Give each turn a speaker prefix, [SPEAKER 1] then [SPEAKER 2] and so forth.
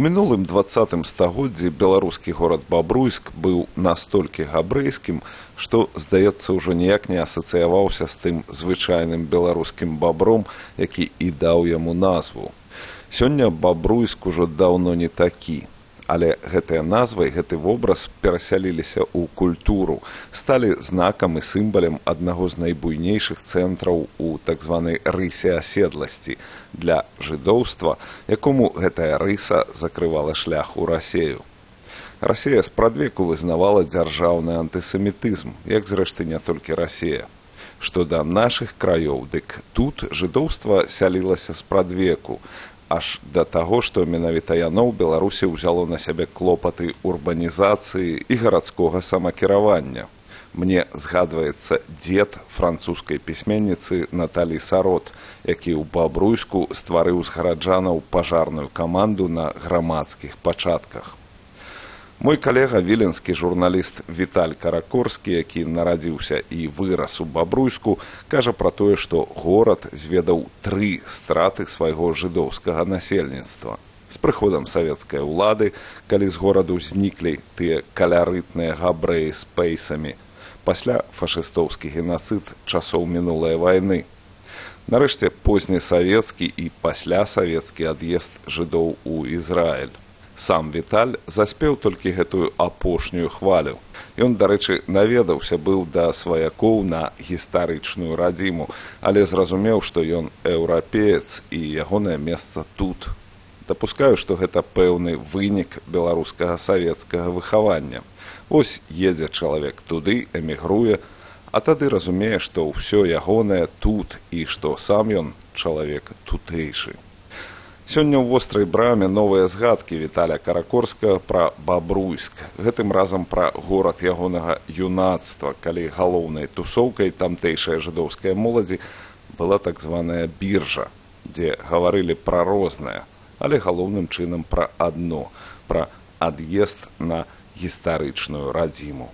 [SPEAKER 1] У мінулым 20 стагоддзі беларускі горад Бабруйск быў настолькі габрэйскім, што, здаецца, ўжо ніяк не асацыяваўся з тым звычайным беларускім бабром, які і даў яму назву. Сёння Бабруйск ужо даўно не такі, але гэтая назва і гэты вобраз перасяліліся ў культуру, сталі знакам і сімвалам аднаго з найбуйнейшых цэнтраў у так званай рысе аседласці для жыдоўства, якому гэтая рыса закрывала шлях у Расею. Расея спрадвеку вызнавала дзяржаўны антысемітызм, як зрэшты не толькі Расея. Што да нашых краёў, дык тут жыдоўства сялілася спрадвеку, аж да таго, што менавіта яно ў Беларусі ўзяло на сябе клопаты урбанізацыі і гарадскога самакіравання. Мне згадваецца дзед французскай пісьменніцы Наталі Сарот, які ў Бабруйску стварыў з гараджанаў пажарную каманду на грамадскіх пачатках. Мой калега, віленскі журналіст Віталь Каракорскі, які нарадзіўся і вырас у Бабруйску, кажа пра тое, што горад зведаў 3 страты свайго жыдоўскага насельніцтва. З прыходам савецкай улады, калі з гораду зніклі тыя калярытныя габрэі з пейсамі, пасля фашыстоўскі генацыд часоў мінулай вайны. Нарэшце позні савецкі і паслясавецкі ад'езд жыдоў у Ізраіль. Сам Віталь заспеў толькі гэтую апошнюю хвалю. Ён, дарэчы, наведаўся быў да сваякоў на гістарычную радзіму, але зразумеў, што ён еўрапеец і ягонае месца тут. Дапускаю, што гэта пэўны вынік беларускага савецкага выхавання. Вось едзе чалавек туды, эмігруе, а тады разумее, што ўсё ягонае тут і што сам ён чалавек тутэйшы. Сёння ў вострай браме новыя згадкі Віталя Каракорска пра Бабруйск. Гэтым разам пра горад ягонага юнацтва, калі галоўнай тусоўкай тамтэйшай жыдоўскай моладзі была так званая біржа, дзе гаварылі пра рознае, але галоўным чынам пра адно, пра ад'езд на гістарычную радзіму.